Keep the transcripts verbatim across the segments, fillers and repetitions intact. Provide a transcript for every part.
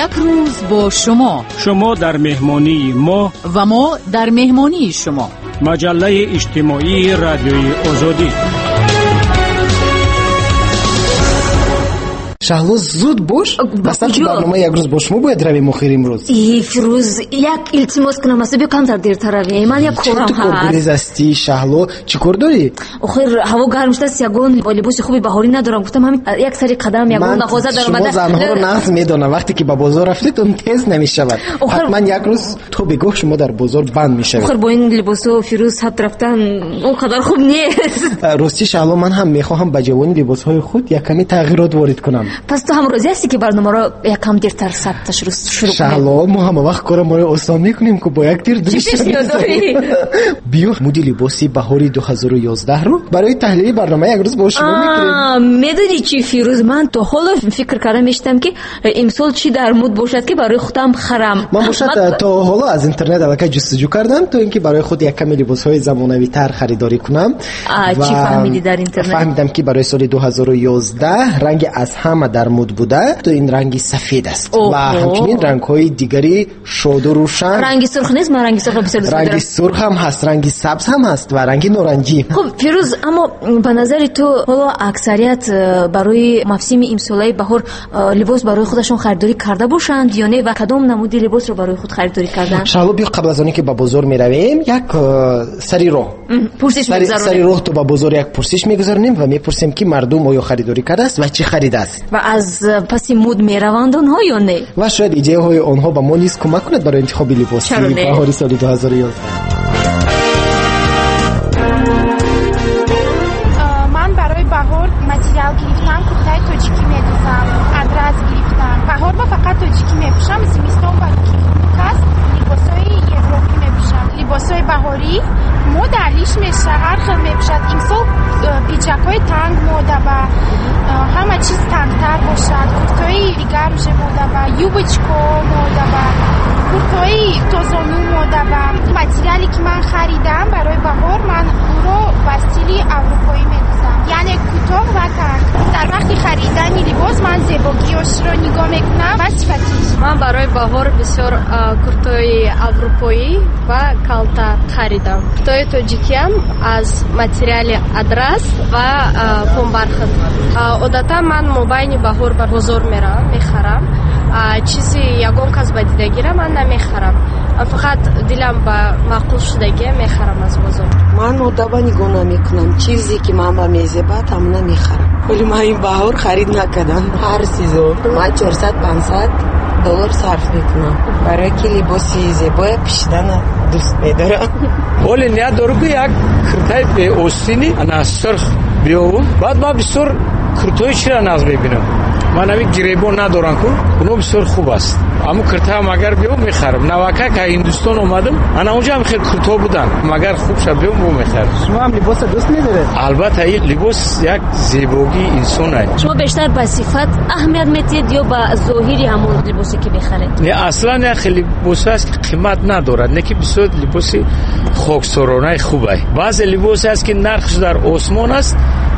Як рӯз бо шумо. Шумо дар меҳмонии мо ва мо дар меҳмонии шумо. Маҷаллаи иҷтимоии Радиои Озодӣ. Шаҳло, зуд бош. Ба сабти барномаи як рӯз бо шумо бояд равем охир имрӯз. Эй Фирӯз, як илтимос кунам, аст биё камтар дертар равем. Ман як корам ҳаст. Чӣ коргурез ҳастӣ, Шаҳло? Чӣ кор дорӣ? Охир ҳаво гарм шудааст, ягон либоси хуби баҳорӣ надорам. Гуфтам ҳамин як сари қадам ягон мағоза даромада. Шумо занҳоро нағз медонам. Вақте ки ба бозор рафтед, он тез намешавад. Ҳатман як рӯз то бегоҳ шумо дар бозор банд мешавед. Охир бо ин либосҳо Фирӯз сабт рафтан он қадар хуб нест. Рости Шаҳло, ман ҳам мехоҳам ба ҷавони либосҳои худ як каме тағйирот ворид кунам. Пас ту ҳам розӣ ҳастӣ, ки барномаро якам дертар сабташ шурӯъ кунем? Шаҳло, мо ҳама вақт корамонро осон мекунем, ки бо як тир ду нишон мезанем. Биё муди либоси баҳори ду ҳазору ёздаҳро барои таҳлили барнома як рӯз бо шумо мекунем. Медонӣ чӣ, Фирӯз, ман то ҳоло фикр карда мешудам, ки имсол чӣ дар муд бошад, ки барои худам харам. Ман бошад то ҳоло аз интернет аллакай ҷустуҷӯ кардам, то ин ки барои худ як каме либосҳои замонавитар харидорӣ кунам. Чӣ фаҳмидӣ дар интернет? Фаҳмидам, ки барои соли ду ҳазору ёздаҳ ранги аз ҳама дар муд буда, то ин ранги сафед аст ва ҳамчунин рангҳои дигари шоду рӯшан. Ранги сурх нест? Ман ранги сурхро бисёр дӯст дорам. Ранги сурх ҳам ҳаст, ранги сабз ҳам ҳаст ва ранги норанҷӣ. Хуб Фирӯз, аммо ба назари ту ҳоло аксарият барои мавсими имсолаи баҳор либос барои худашон харидорӣ карда бошанд ё не, ва кадом намуди либосро барои худ харидорӣ карданд? Шаҳло, биё қабл аз оне ки ба бозор меравем, як сари роҳ пурсиш мегузаронем. Сари роҳ то ба бозор як пурсиш мегузаронем ва мепурсем, ки мардум оё харидорӣ кардааст ва чӣ харидааст ва аз паси муд мераванд онҳо ё не, ва шояд идеяҳои онҳо ба мо низ кӯмак кунад барои интихоби либоси баҳори соли ду ҳазору ёздаҳ. Ман барои баҳор материал гирифтам, куртаи тоҷикӣ медӯзам, адрас гирифтам. Баҳор ба фақат тоҷикӣ мепӯшам, зимистон ба ки хунук аст либосҳои европӣ мепӯшам. Либосҳои баҳорӣ мода алиш мешавад, ҳар хел мепӯшад. Имсол пиҷакҳои танг мода ба ҳама чиз тангтар бошад, куртои дигар уже мода ба, юбочко мода ба, куртои тозону мода ба. Материале ки ман харидам барои баҳор, ман ӯро ба стили аврупоӣ медӯзам, яъне кӯтоҳ ва танг. Дар вақти харидани либос ман зебогиёшро нигоҳ мекунам ва сифатиш. Ман барои баҳор бисёр куртои аврупоӣ ва калта харидам. Куртои тоҷикиам аз материали адрас ва помбархат. Одатан ман мобайни баҳор ба бозор меравам, мехарам. Чизи ягон кас ба дидагира ман намехарам. Фақат дилам ба маъқул шудагия мехарам аз бозор. Ман модаба нигоҳ намекунам. Чизе ки ман ба мезебад, ҳамона мехарам. Вале ман ин баҳор харид накардам. Ҳар сезон ман чорсад панҷсад доллар сарф мекунам. Барои ки либоси зебоя пӯшидана дӯст медорам. Ҳоле ният дорам, ки як куртаи беостини ана сурх биёвам. Баъд ман бисёр куртои чира нағз мебинам. Ман ҳамин гиребон надорам, ку оно бисёр хуб аст. Аммо куртаам агар биём мехарам. Навака ка Ҳиндустон омадам, ана онҷо ҳам хел куртҳо буданд. Магар хуб ша биём, бо мехарам. Шумо ҳам либосро дӯст медоред? Албатта, ин либос як зебогии инсон аст. Шумо бештар ба сифат аҳамият медиҳед ё ба зоҳири ҳамон либосе ки мехаред? Не, аслан як хел либос аст, ки қимат надорад, не ки бисёр либоси хоксоронаи хуб аст. Баъзе либосе аст, ки нархш дар осмон аст,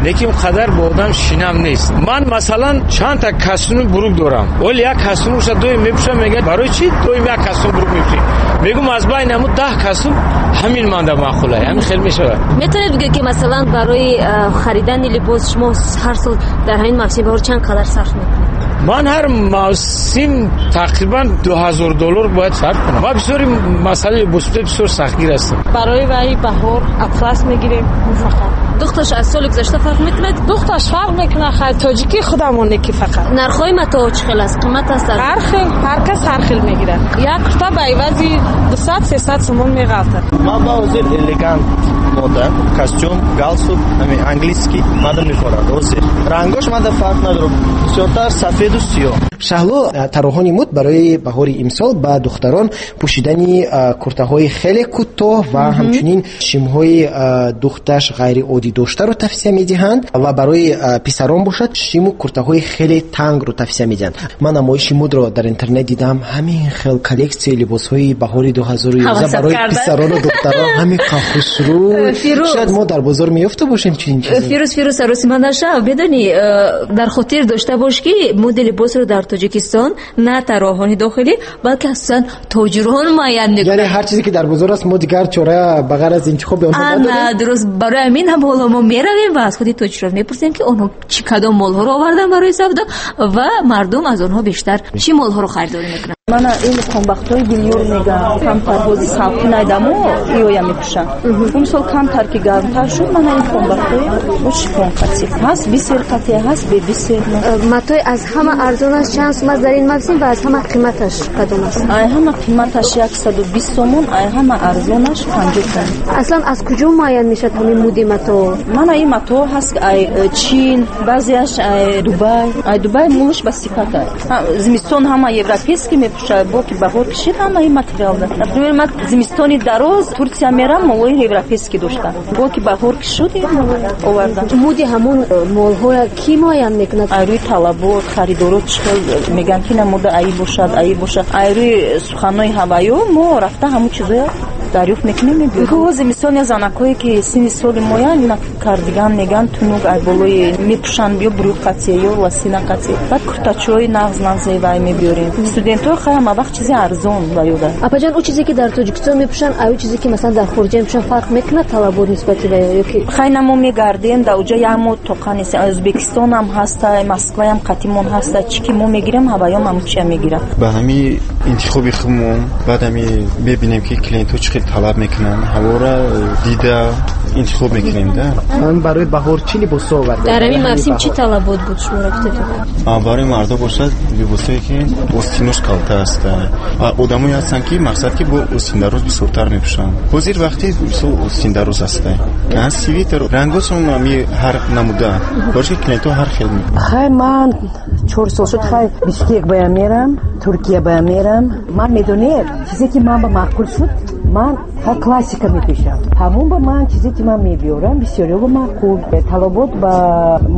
лекин қадар бо одам шинам нест. Ман масалан чандта костюми бурук дорам. Вале як костюмша доим мепӯшам, мегӯяд барои чӣ доим як костюм бурук мепӯшӣ? Мегӯм аз байни ҳамун даҳ костюм ҳамин манда маъқул аст. Ҳамин хел мешавад. Метавонед бигӯед, ки масалан барои харидани либос шумо ҳар сол дар ҳамин мавсими баҳор чанд қадар сарф мекунед? Ман ҳар мавсим тақрибан ду ҳазор доллар бояд сарф кунам. Ман бисёри масъалаи либос бисёр сахтгир ҳастам. Барои вай баҳор атлас мегирем фақат. Духташ аз соли гузашта фарқ мекунад? Духташ фарқ мекунад, хай тоҷикӣ худамоне ки фақат. Нархҳои матоъ чӣ хел аст? Қимат аст? Ҳар хел, ҳар кас ҳар хел мегирад. Як курта ба ивази дусад сесад сомон меғалтад. Ман ба ҳозир элегант мода, костюм, галстук, ҳамин английский мада мехорад ҳозир. Рангош мада фарқ надорад, бисёртар сафеду сиёҳ. Шаҳло, тарроҳони муд барои баҳори имсол ба духтарон пӯшидани куртаҳои хеле кӯтоҳ ва ҳамчунин шимҳои духташ ғайриоддӣ доштаро тавсия медиҳанд ва барои писарон бошад шиму куртаҳои хеле тангро тавсия медиҳанд. Ман намоиши мудро дар интернет дидам, ҳамин хел коллексияи либосҳои баҳори ду ҳазору ёздаҳ барои писарону духтарон ҳамин хушрӯй. Шояд мо дар бозор меёфта бошем чунин чизе. Фирӯз, Фирӯз, саросима нашав. Медонӣ, дар хотир дошта бош, ки муди либосро дар Тоҷикистон на тарроҳони дохилӣ, балки асосан тоҷирон муайян мекунанд. Яъне ҳар чизе ки дар бозор аст, мо дигар чора ба ғайр аз интихоби онҳо надорем. Дуруст. Барои ҳамин ҳам ҳоло мо меравем ва аз худи тоҷирон мепурсем, ки онҳо чӣ кадом молҳоро овардан барои савдо ва мардум аз онҳо бештар чӣ молҳоро харидорӣ мекунанд. Мана ин комбахтҳои билюр мегӯям, камтар ҳози салқин айдамо иоя мепӯшам. Он сол камтар ки гармтар шуд, мана ин комбахтҳои бо шифон қатӣ ҳаст, бисер қатӣ ҳаст, бе бисер. Матои аз ҳама арзонаш чанд сум аст дар ин мавсим ва аз ҳама қиматаш кадом аст? Ай ҳама қиматаш яксаду бист сомон, ай ҳама арзонаш панҷоҳ сомон. Аслан аз куҷо муайян мешавад ҳамин муди матоъ? Мана ин матоъ ҳаст ай Чин, баъзеаш ай Дубай. Ай Дубай мулш ба сифат аст. Зимистон ҳама европейский мепӯшад, бо ки баҳор кишид ҳама ин материал. Например, ман зимистони дароз Турсия мерам, молои европейский доштам. Бо ки баҳор кишуд овардам. Муди ҳамон молҳоя кӣ муайян мекунад? Ай рӯи талабот, харидорот чӣ хел мегӯянд, ки намуда аи бошад, аи бошад. Ай рӯи суханҳои ҳаваё мо рафта ҳамун чизоя дарёфт мекунем, мебиёрем. Ҳозир мисол я занакҳое ки синни соли моянд, ина кардиган мегӯянд, тунук ай болои мепӯшанд, ё брюк қатӣ, ё лосина қатӣ. Баъд куртачои нағз нағзе вай мебиёрем. Студентҳо хай ҳама вақт чизи арзон ба ёда. Апаҷон, ӯ чизе ки дар Тоҷикистон мепӯшанд, ай ӯ чизе ки масалан дар хориҷа мепӯшанд фарқ мекунад талабот нисбати ба ё ки? Хай на, мо мегардем, дар уҷа як моҳ тоқа нест. Ӯзбекистон ҳам ҳаста, Москваям қатимон ҳаста. Чӣ ки мо мегирем, ҳаваём ҳамун чия мегирад. Ба ҳамин интихоби худмон баъд ҳами мебинем, ки клиентҳо чӣ хел талаб мекунанд, ҳаворо дида интихоб мекунем. Да, ман барои баҳор чӣ либосҳо овардам? Дар ҳамин мавсим чӣ талабот буд шуморо гуфтед? Барои мардо бошад либосҳое ки остинош калта аст. Одамое ҳастанд, ки мақсад ки бо остиндароз бисёртар мепӯшанд. Ҳозир вақти мисол остиндароз аст. Свитер рангошон ҳами ҳар намуда. Барои ки клиентҳо ҳар хел. Хай, ман чор сол шуд, хай Бишкек бая мерам, Туркия бая мерам. Ман медонед, чизе ки ман ба маъқул шуд, ман хай классика мепӯшам. Ҳамон ба ман чизе ки ман мебиёрам, бисёриё ба маъқул. Талабот ба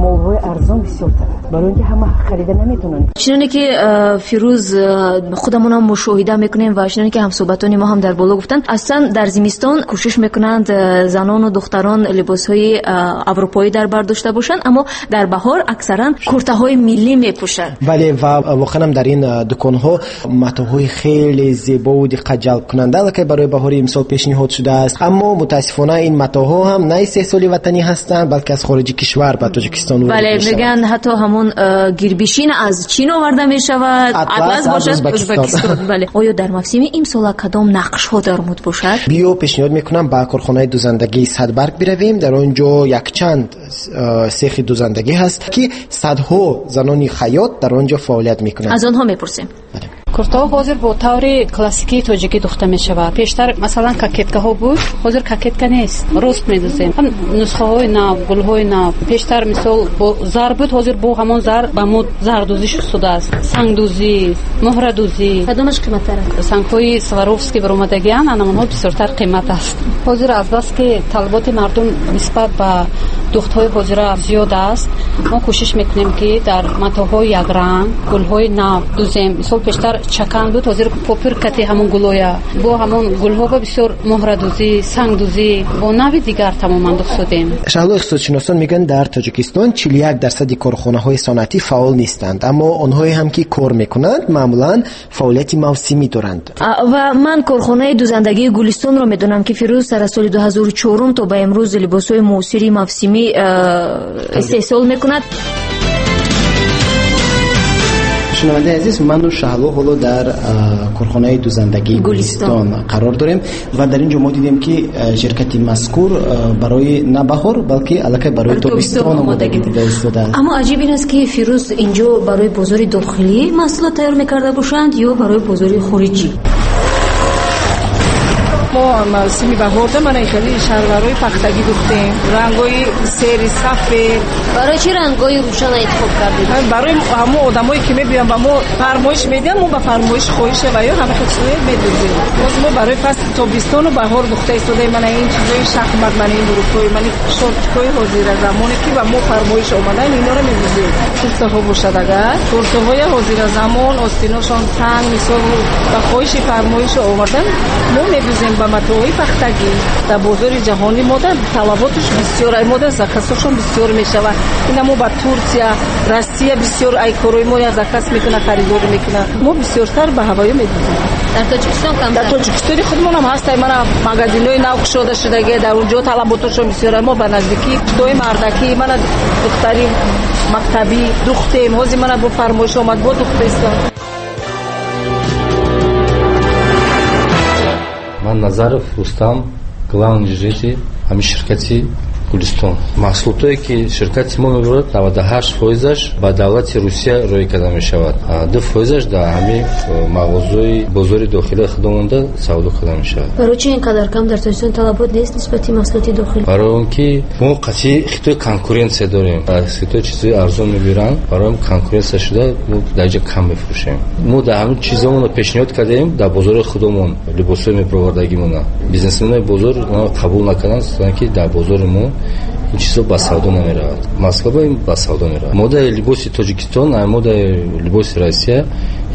молҳои арзон бисёртар, барои ин ки ҳама харида наметавонанд. Чуноне ки Фирӯз худамонам мушоҳида мекунем ва чуноне ки ҳамсӯҳбатони мо ҳам дар боло гуфтанд, аслан дар зимистон кӯшиш мекунанд занону духтарон либосҳои аврупоӣ дар бар дошта бошанд, аммо дар баҳор аксаран куртаҳои миллӣ мепӯшанд. Бале, ва воқеан дар ин дуконҳо матоъҳои хеле зебову диққатҷалбкунанда аллакай барои баҳори имсол пешниҳод шудааст. Аммо мутаассифона ин матоъҳо ҳам на истеҳсоли ватанӣ ҳастанд, балки аз хориҷи кишвар ба Тоҷикистон ворид Бале, мешаванд. Мегӯянд ҳатто ҳамон гирбишин аз Чин оварда мешавад, атлас бошад Ӯзбекистон. Ӯзбекистон. Бале, оё дар мавсими имсола кадом нақшҳо дар муд бошад? Биё, пешниҳод мекунам ба корхонаи дузандагии Садбарг биравем. Дар он ҷо якчанд сехи дузандагӣ ҳаст, ки садҳо занони хаёт дар он ҷо фаъолият мекунанд. Аз онҳо мепурсем. Куртаҳо ҳозир бо таври классикии тоҷикӣ духта мешавад. Пештар масалан кокеткаҳо буд, ҳозир кокетка нест, рост медузем. Ҳам нусхаҳои нав, гулҳои нав. Пештар мисол бо зар буд, ҳозир бо ҳамон зар ба муд зардӯзӣ шудааст. Сангдӯзӣ, муҳрадӯзӣ. Кадомаш қиматтар аст? Сангҳои Сваровский баромадагиан, анамонҳо бисёртар қимат аст. Ҳозир азбаски талаботи мардум нисбат ба духтҳои ҳозира зиёд аст, мо кӯшиш мекунем, ки дар матоъҳои якранг гулҳои нав дузем. Мисол пештар чакан буд, ҳозир попир кати ҳамон гулоя бо ҳамон гулҳо ба бисёр муҳрадӯзӣ, сангдӯзӣ бо нави дигар тамоман духт шудем. Шаҳло, иқтисодшиносон мегӯянд, дар Тоҷикистон чилу як дарсади корхонаҳои саноатӣ фаъол нестанд, аммо онҳое ҳам ки кор мекунанд, маъмулан фаъолияти мавсимӣ доранд. Ва ман корхонаи дузандагии Гулистонро медонам, ки Фирӯз сар аз соли ду ҳазору чорум то ба имрӯз либосҳои муосири мавсимӣ истеҳсол мекунад. Шунавандаи азиз, ману Шаҳло ҳоло дар корхонаи дузандагии Гулистон қарор дорем ва дар ин ҷо мо дидем, ки ширкати мазкур барои на баҳор, балки аллакай барои тобистон омодагӣ дида истодааст. Аммо аҷиб ин аст, ки Фирӯз инҷо барои бозори дохилӣ маҳсулот тайёр мекарда бошанд ё барои бозори хориҷӣ? Мо мавсими баҳорда мана хеле шаҳрварҳои пахтагӣ духтем, рангҳои сери сафед. Барои чӣ рангҳои рӯшан интихоб кардед? Барои ҳамон одамое ки мебиёнд ба мо фармоиш медиҳанд, мо ба фармоиш хоҳиша ва ё ҳама хел чизое медӯзем. Боз мо барои фасли тобистону баҳор духта истодаем. Мана ин чизои шахмат, мана ин бурукҳои, мана шортикҳои ҳозира замоне ки ба мо фармоиш омадан, инора медӯзем. Куртаҳо бошад, агар куртаҳои ҳозира замон остиношон танг, мисол ба хоҳиши фармоиш овардан, мо медӯзем. Ба матоъҳои пахтагӣ дар бозори ҷаҳонӣ мода талаботаш бисёр, ай мода заказҳошон бисёр мешавад. Ина мо ба Турсия, Россия бисёр ай корои мо заказ мекунад, харидорӣ мекунад. Мо бисёртар ба ҳавоё медузем. Дар Тоҷикистон камтар? Дар Тоҷикистони худмонам ҳаст, ай мана магазинҳои нав кушода шудагӣ, дар онҷо талаботашон бисёр. Мо ба наздикӣ тои мардакӣ, мана духтари мактабӣ духтем. Ҳозир мана бо фармоиш омад, бо духтестам. Ман Назаров Рустам, главный инженер ҳамин ширкати Гулистон. Маҳсулотое ки ширкати мо мебарад, наваду ҳашт фоизаш ба давлати Русия рӯй карда мешавад, ду фоизаш дар ҳамин мағозаи бозори дохилии худамонда савдо карда мешавад. Барои чӣ ин қадар кам дар Тоҷикистон талабот нест нисбати маҳсулоти дохилӣ? Барои он ки мо қатъи Хитой конкуренсия дорем, аз Хитой чизои арзон мебиранд, барои он конкуренсия шуда мо дар ҷо кам мефурӯшем. Мо дар ҳамин чизомонро пешниҳод кардем дар бозори худамон, либосҳои мепарвардагимона. Бизнесменои бозор қабул накарданд, ки дар бозори мо ин чизо ба савдо намеравад. Москва ин ба савдо меравад. Модаи либоси Тоҷикистон, модаи либоси Россия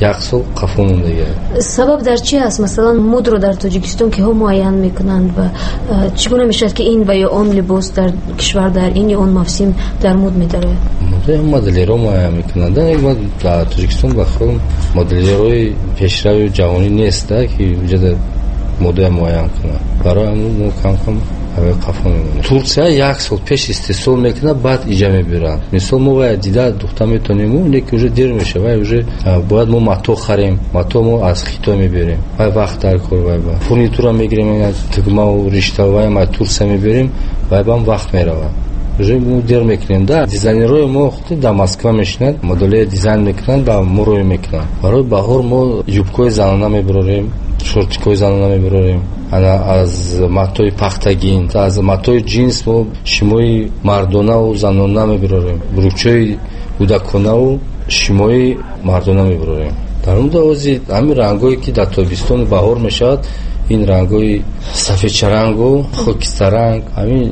як сол қафо мондагӣ. Сабаб дар чи аст? Масалан, модро дар Тоҷикистон киҳо муайян мекунанд ва чӣ гуна мешавад, ки ин ва ё он либос дар кишвар дар ин ё он мавсим дар мод медарояд? Модаи моделерро муайян мекунанд. Дар Тоҷикистон ба худ моделерҳои пешрави ҷаҳонӣ нест, ки ҷода модаи муайян кунад. Барои ҳамин мо кам-кам қафо мемонем. Турсия як сол пеш истеҳсол мекунад, баъд иҷа мебиранд. Мисол мо вая дида духта метонем, лекин уже дер мешавад, вай уже бояд мо мато харем, мато мо аз Хитой мебирем, вай вақт дар кор, вай ба фурнитура мегирем, тугмаву ришта вай ма Турсия мебирем, вай бам вақт меравад. Уже мо дер мекунем. Да, дизайнерҳои мо худи дар Москва мешинанд, моделҳои дизайн мекунанд ва мо рӯй мекунанд. Барои баҳор мо юбкаҳои занона мебарорем, шортикҳои занона мебарорем. Ана аз матои пахтагин, аз матои ҷинс мо шимои мардонаву занона мебарорем, брючҳои кӯдаконаву шимои мардона мебарорем. Дар он ҳозир ҳамин рангҳое ки дар тобистону баҳор мешавад, ин рангҳои сафедчарангу хокистаранг, ҳамин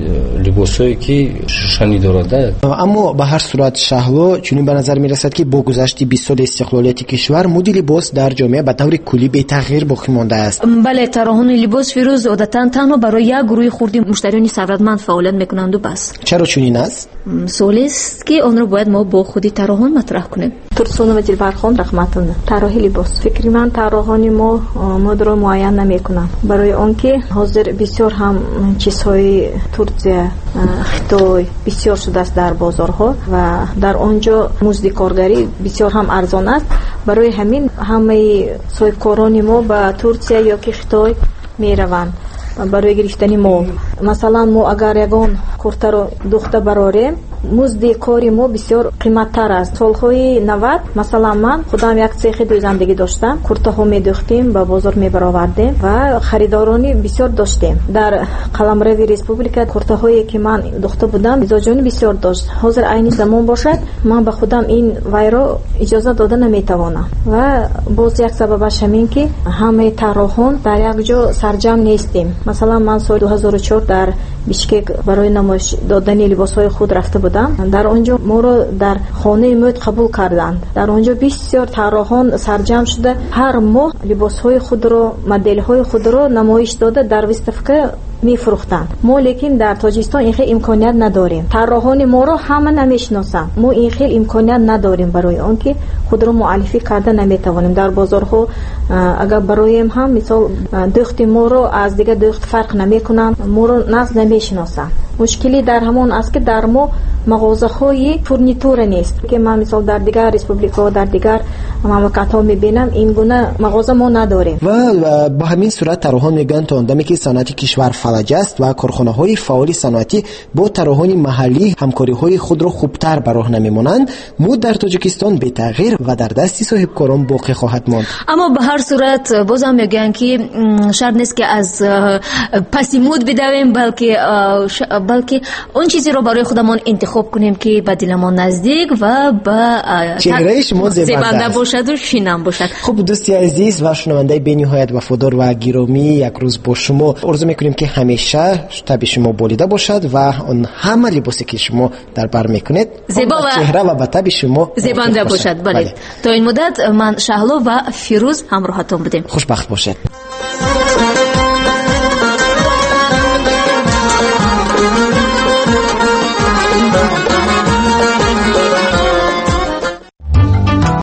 либосҳое ки шушанӣ дорад. Аммо ба ҳар сурат Шаҳло, чунин ба назар мерасад, ки бо гузашти бист соли истиқлолияти кишвар муди либос дар ҷомеа ба таври куллӣ бетағйир боқӣ мондааст. Бале, тарроҳони либос Фирӯз одатан танҳо барои як гурӯҳи хурди муштариёни сарватманд фаъолият мекунанду бас. Чаро чунин аст? Суолест, ки онро бояд мо бо худи тарроҳон матраҳ кунем. Турсунова Дилбархон Раҳматовна, тарроҳи либос. Фикри ман, тарроҳони мо модро муайян намекунанд, барои он ки ҳозир бисёр ҳам чизҳои Турсия, Хитой бисёр шудааст дар бозорҳо ва дар он ҷо музди коргарӣ бисёр ҳам арзон аст. Барои ҳамин ҳамаи соҳибкорони мо ба Турсия ё ки Хитой мераванд барои гирифтани мол. Масалан, мо агар ягон куртаро духта барорем, музди кори мо бисёр қиматтар аст. Солҳои навад, масалан, ман худам як цехи дӯзандагӣ доштам, куртаҳо медӯхтем, ба бозор мебаровардем ва харидорони бисёр доштем. Дар қаламрави республика куртаҳое ки ман духта будам, мизоҷони бисёр дошт. Ҳозир айни замон бошад, ман ба худам ин вайро иҷоза дода наметавонам. Ва боз як сабабаш ҳамин ки ҳамаи тарроҳон дар як ҷо сарҷам нестем. Масалан, ман соли ду ҳазору чор дар Бишкек барои намоиш додани либосҳои худ рафта будам. Дар он ҷо моро дар хонаи мӯд қабул карданд. Дар он ҷо бисёр тарроҳон сарҷам шуда, ҳар моҳ либосҳои худро, моделҳои худро намоиш дода дар выставка мефурӯхтанд. Мо лекин дар Тоҷикистон ин хел имконият надорем. Тарроҳони моро ҳама намешиносанд. Мо ин хел имконият надорем, барои он ки худро муаллифӣ карда наметавонем. Дар бозорҳо агар бароем ҳам, мисол, дӯхти моро аз дигар дӯхт фарқ намекунанд, моро нағз намешиносанд. Мушкилӣ дар ҳамон аст, ки дар мо мағозаҳои фурнитура нест, ки ман мисол дар дигар республикаҳо, дар дигар мамлакатҳо мебинам, ин гуна мағоза мо надорем. Ва ба ҳамин сурат тарроҳон мегӯянд, то он даме ки саноати кишвар фалаҷ аст ва корхонаҳои фаъоли саноатӣ бо тарроҳони маҳаллӣ ҳамкориҳои худро хубтар ба роҳ намемонанд, муд дар Тоҷикистон бетағйир ва дар дасти соҳибкорон боқӣ хоҳад монд. Аммо ба ҳар сурат бозам мегӯянд, ки шарт нест, ки аз паси муд бидавем, балки балки он чизеро барои худамон интихоб кунем, ки ба диламон наздик ва ба чеҳраи шумо зебанда бошаду шинам бошад. Хуб, дӯсти азиз ва шунавандаи бениҳоят вафодор ва гиромӣ, як рӯз бо шумо орзу мекунем, ки ҳамеша таби шумо болида бошад ва он ҳама либосе ки шумо дар бар мекунед зебо ва чеҳра ва ба таби шумо зебанда бошад. Бале, то ин муддат ман Шаҳло ва Фирӯз ҳамроҳатон будем. Хушбахт бошед.